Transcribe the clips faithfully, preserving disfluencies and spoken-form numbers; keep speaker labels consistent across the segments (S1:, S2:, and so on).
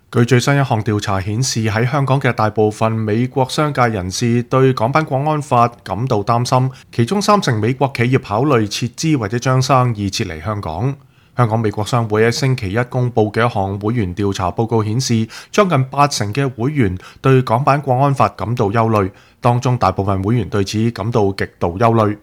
S1: 據最新一項調查顯示，喺香港嘅大部分美國商界人士對港版國安法感到擔心，其中三成美國企業考慮撤資或者將生意撤離香港。香港美國商會喺星期一公佈嘅一項會員調查報告顯示，將近八成嘅會員對港版國安法感到憂慮，當中大部分會員對此感到極度憂慮。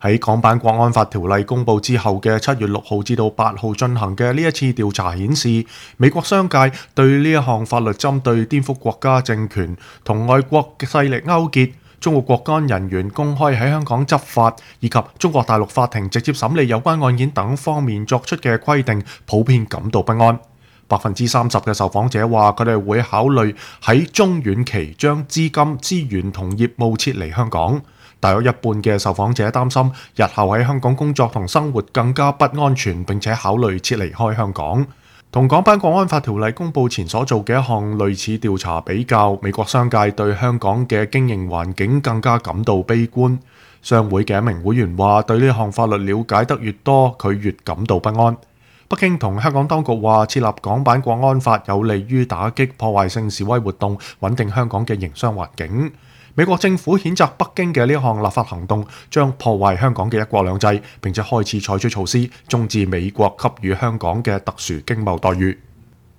S1: 喺港版國安法條例公佈之後嘅七月六號至到八號進行嘅呢一次調查顯示，美國商界對呢一項法律針對顛覆國家政權、同外國勢力勾結、中國國安人員公開喺香港執法，以及中國大陸法庭直接審理有關案件等方面作出嘅規定，普遍感到不安。百分之三十嘅受訪者話，佢哋會考慮喺中遠期將資金、資源同業務撤離香港。大約一半嘅受訪者擔心日後喺香港工作同生活更加不安全，並且考慮撤離開香港。同港版國安法條例公佈前所做嘅一項類似調查比較，美國商界對香港嘅經營環境更加感到悲觀。商會嘅一名會員話，對呢項法律了解得越多，佢越感到不安。北京同香港當局話，設立港版國安法有利於打擊破壞性示威活動，穩定香港嘅營商環境。美國政府譴責北京嘅呢項立法行動將破壞香港嘅一國兩制，並且開始採取措施終止美國給予香港嘅特殊經貿待遇。